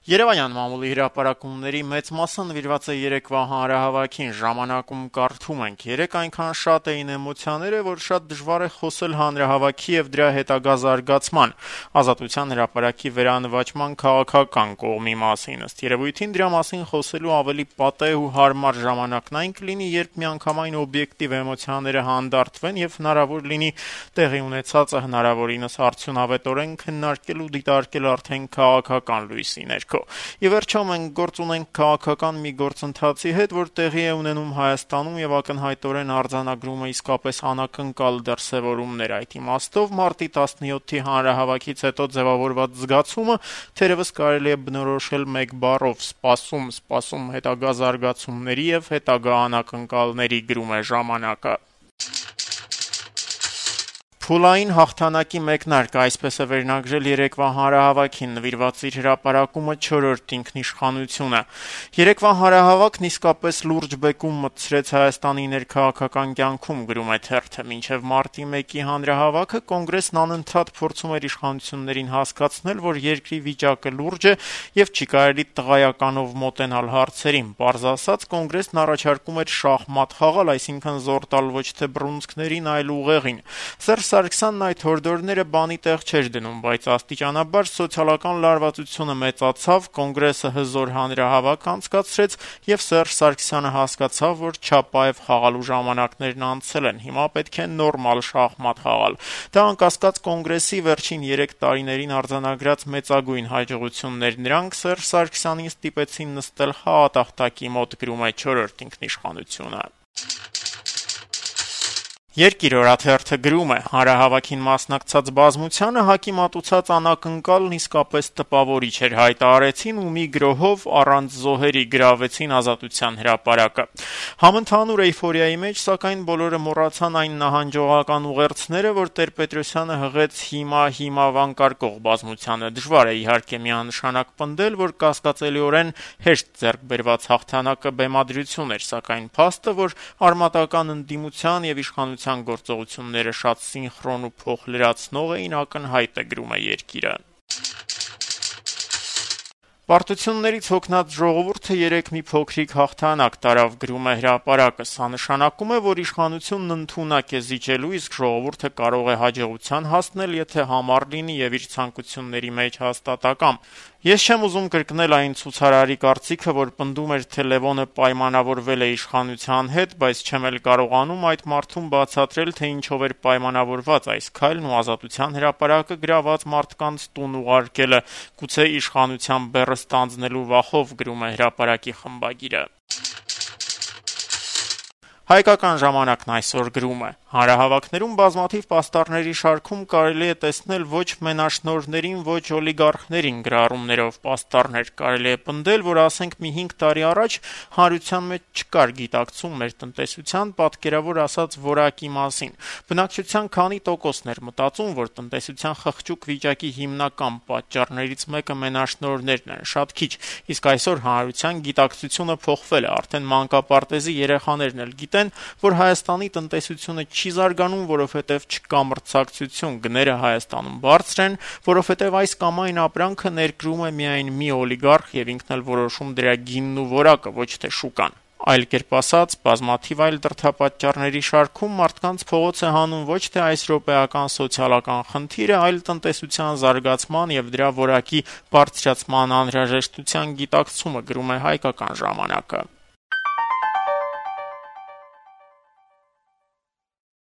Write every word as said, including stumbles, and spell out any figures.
Երևանյան մամուլի հրապարակումների մեծ մասը նվիրված է երեկվա հանրահավաքին, ժամանակում կարդում ենք. երեկ այնքան շատ էին էմոցիաները, որ շատ դժվար է խոսել հանրահավաքի եւ դրա հետագա զարգացման, Ազատության հրապարակի վերանվաճման քաղաքական կողմի մասին, ըստ երևույթին դրա մասին խոսելու ավելի պատեհ ու հարմար ժամանակն այն կլինի, երբ միանգամայն օբյեկտիվ էմոցիաները հանդարտվեն եւ հնարավոր լինի տեղի ունեցածը հնարավորինս արդյունավետորեն քննարկել ու դիտարկել արդեն քաղաքական լույսի ներքո։ Ի վերջո մենք գործ ունենք քաղաքական մի գործընթացի հետ, որ տեղի է ունենում Հայաստանում եւ ակնհայտորեն արձանագրում է իսկապես անակնկալ դրսեւորումներ։ Այդ իմաստով մարտի տասնյոթի հանրահավաքից հետո ձևավորված զգացումը թերևս կարելի է բնորոշել մեկ բառով՝ սպասում, սպասում հետագա զարգացումների եւ հետագա անակնկալների, գրում է «Ժամանակը»։ Փուլային հաղթանակի մեկնարկը, այսպես է վերնագրել երեկվա հանրահավաքին նվիրված իր հրապարակումը չորրորդ ինքնիշխանությունը։ Երեկվա հանրահավաքն իսկապես լուրջ բեկում մտցրեց Հայաստանի ներքաղաքական կյանքում, գրում է թերթը։ Մինչև մարտի մեկի հանրահավաքը կոնգրեսն անընդհատ փորձում էր իշխանություններին հասկացնել, որ երկրի վիճակը լուրջ է եւ չի կարելի տղայականով մոտենալ հարցերին։ Պարզ ասած, կոնգրեսն առաջարկում էր շախմատ խաղալ, այսինքն զոր տալ ոչ թե բռունցքներին, այլ ուղեղին։ Սերժ Սարգսյանն այդ հորդորները բանի տեղ չէր դնում, բայց աստիճանաբար սոցիալական լարվածությունը մեծացավ, կոնգրեսը հզոր հանրահավաք անցկացրեց եւ Սերժ Սարգսյանը հասկացավ, որ Չապաև խաղալու ժամանակներն անցել են, հիմա պետք է նորմալ շախմատ խաղալ։ Դա անկասկած կոնգրեսի վերջին երեք տարիներին արձանագրած մեծագույն հաջողություններ նրանք Սերժ Սարգսյանին ստիպեցին նստել խաղատախտակի մոտ, գրում է չորրորդ ինքնիշխանությունը։ Երկիր օրաթերթը գրում է. հանրահավաքին մասնակցած բազմությանը ՀԱԿ-ի մատուցած անակնկալն իսկապես տպավորիչ էր, հայտարարեցին ու մի գրոհով առանց զոհերի գրավեցին Ազատության հրապարակը։ Համընդհանուր էյֆորիայի մեջ, սակայն բոլորը մոռացան այն նահանջողական ուղերձները, որ Տեր-Պետրոսյանը հղեց հիմա հիմա վանկարկող բազմությանը։ Դժվար է իհարկե միանշանակ պնդել, որ կասկածելիորեն հեշտ ձեռք բերված հաղթանակը բեմադրություն էր, սակայն փաստը, որ արմատական ընդդիմության եւ իշխանության գործողությունները շատ սինխրոն ու փոխլրացնող էին, ակնհայտ է, գրում է Երկիրը։ Պարտություններից հոգնած ժողովուրդը երեկ մի փոքրիկ հաղթանակ տարավ, գրում է Հրապարակը։ Սա նշանակում է, որ իշխանությունն ընդունակ է զիջելու, իսկ ժողովուրդը կարող է հաջողության հասնել, եթե համառ լինի եւ իր ցանկությունների մեջ հաստատակամ։ Ես չեմ ուզում կրկնել այն ցուցարարի կարծիքը, որ պնդում էր, թե Լևոնը պայմանավորվել է իշխանության հետ, բայց չեմ էլ կարողանում այդ մարդուն բացատրել, թե ինչով էր պայմանավորված այս քայլն ու Ազատության հրապարակը գրաված մարդկանց տուն ուղարկելը, գուցե իշխանության բեռը ստանձնելու վախով, գրում է Հրապարակի խմբագիրը։ Հայկական ժամանակն այսօր գրում է. հանրահավաքներում բազմաթիվ պաստառների շարքում կարելի է տեսնել ոչ մենաշնորհներին, ոչ օլիգարխներին գրառումներով պաստառներ։ Կարելի է պնդել, որ ասենք մի հինգ տարի առաջ հանրության մեջ չկար գիտակցում մեր տնտեսության, պատկերավոր ասած, որակի մասին։ Բնակչության քանի տոկոսն էր մտածում, որ տնտեսության խղճուկ վիճակի հիմնական պատճառներից մեկը մենաշնորհներն են, շատ քիչ, իսկ այսօր հանրության գիտակցությունը փոխվել է, արդեն մանկապարտեզի երեխաներն էլ գիտեն, որ Հայաստանի տնտեսությունը չի զարգանում, որովհետև չկա մրցակցություն, գները Հայաստանում բարձր են, որովհետև այս կամ այն ապրանքը ներկրում է միայն մի օլիգարխ եւ ինքն էլ որոշում դրա գինն ու որակը, ոչ թե շուկան։ Այլ կերպ ասած, բազմաթիվ այլ դրդապատճառների շարքում մարդկանց փողոց է հանում ոչ թե այս րոպեական սոցիալական խնդիրը, այլ տնտեսության զարգացման եւ դրա որակի բարձրացման անհրաժեշտության գիտակցումը, գրում է Հայկական ժամանակը։